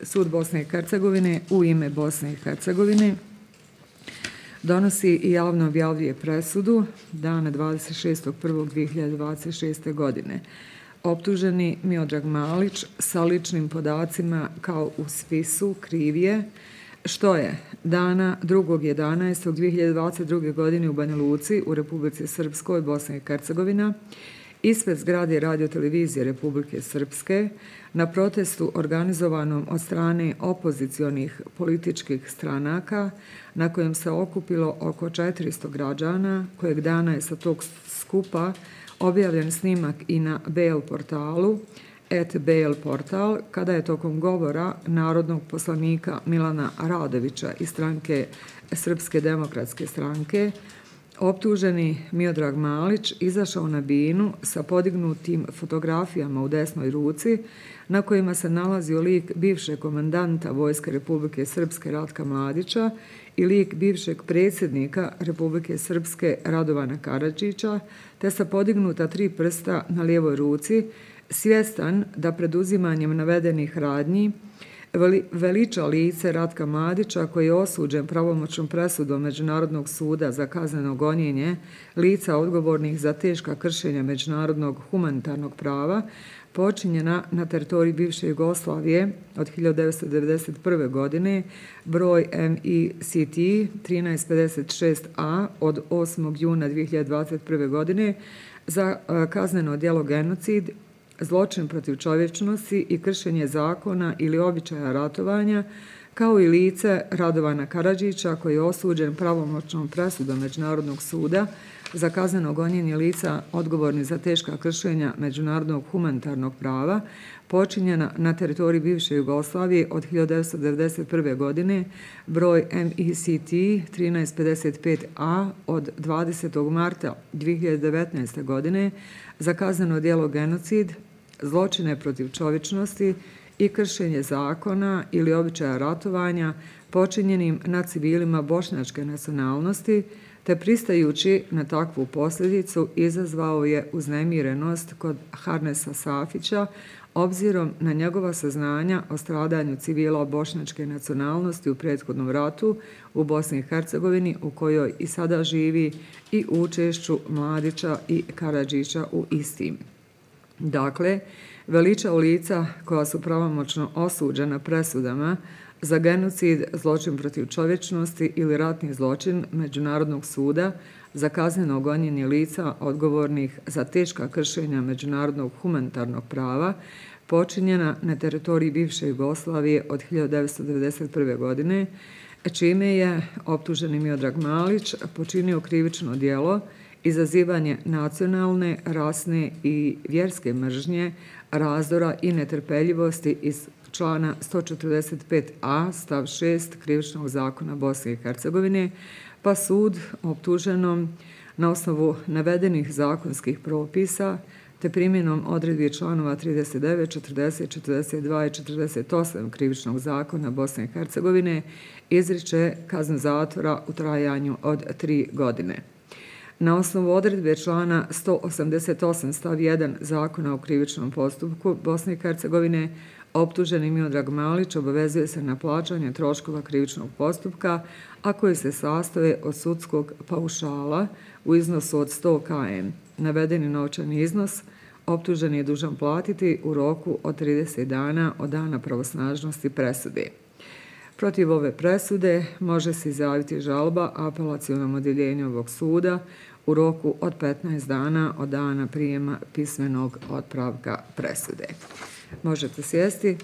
Sud Bosne i Hercegovine u ime Bosne i Hercegovine donosi i javno objavljuje presudu dana 26.1.2026. godine. Optuženi Miodrag Malić sa ličnim podacima kao u spisu krivije, što je dana 2.11.2022. godine u Banja Luci u Republici Srpskoj, Bosna i Hercegovina, ispred zgrade Radio-televizije Republike Srpske na protestu organizovanom od strane opozicionih političkih stranaka na kojem se okupilo oko 400 građana, kojeg dana je sa tog skupa objavljen snimak i na BL portalu, @BL portal, kada je tokom govora narodnog poslanika Milana Radovića iz stranke Srpske demokratske stranke optuženi Miodrag Malić izašao na binu sa podignutim fotografijama u desnoj ruci na kojima se nalazio lik bivšeg komandanta Vojske Republike Srpske Ratka Mladića i lik bivšeg predsjednika Republike Srpske Radovana Karadžića, te sa podignuta 3 prsta na lijevoj ruci, svjestan da preduzimanjem navedenih radnji veliča lice Ratka Mladića koji je osuđen pravomoćnom presudom Međunarodnog suda za kazneno gonjenje lica odgovornih za teška kršenja međunarodnog humanitarnog prava počinjena na teritoriji bivše Jugoslavije od 1991. godine, broj MICT 1356A od 8. juna 2021. godine za kazneno djelo genocid, zločin protiv čovječnosti i kršenje zakona ili običaja ratovanja, kao i lice Radovana Karadžića koji je osuđen pravomoćnom presudom Međunarodnog suda za kazneno gonjenje lica odgovorni za teška kršenja međunarodnog humanitarnog prava počinjena na teritoriji bivše Jugoslavije od 1991. godine, broj MICT 1355A od 20. marta 2019. godine za kazneno djelo genocid, zločine protiv čovječnosti i kršenje zakona ili običaja ratovanja počinjenim na civilima bošnjačke nacionalnosti, te pristajući na takvu posljedicu izazvao je uznemirenost kod Harnesa Safića obzirom na njegova saznanja o stradanju civila bošnjačke nacionalnosti u prethodnom ratu u Bosni i Hercegovini u kojoj i sada živi i učešću Mladića i Karadžića u istim. Dakle, veliča lica koja su pravomoćno osuđena presudama za genocid, zločin protiv čovječnosti ili ratni zločin Međunarodnog suda za kazneno gonjenje lica odgovornih za teška kršenja međunarodnog humanitarnog prava počinjena na teritoriji bivše Jugoslavije od 1991. godine, čime je optuženi Miodrag Malić počinio krivično djelo izazivanje nacionalne, rasne i vjerske mržnje, razdora i netrpeljivosti iz člana 145a stav 6 Krivičnog zakona Bosne i Hercegovine, pa sud optuženom na osnovu navedenih zakonskih propisa te primjenom odredbi članova 39, 40, 42 i 48 Krivičnog zakona Bosne i Hercegovine izriče kaznu zatvora u trajanju od 3 godine. Na osnovu odredbe člana 188 stav 1 Zakona o krivičnom postupku Bosne i Hercegovine optuženi Miodrag Malić obavezuje se na plaćanje troškova krivičnog postupka, a koji se sastoje od sudskog paušala u iznosu od 100 km. Navedeni novčani iznos optuženi je dužan platiti u roku od 30 dana od dana pravosnažnosti presude. Protiv ove presude može se izjaviti žalba apelacionom odjeljenju ovog suda u roku od 15 dana od dana prijema pismenog otpravka presude. Možete sjesti.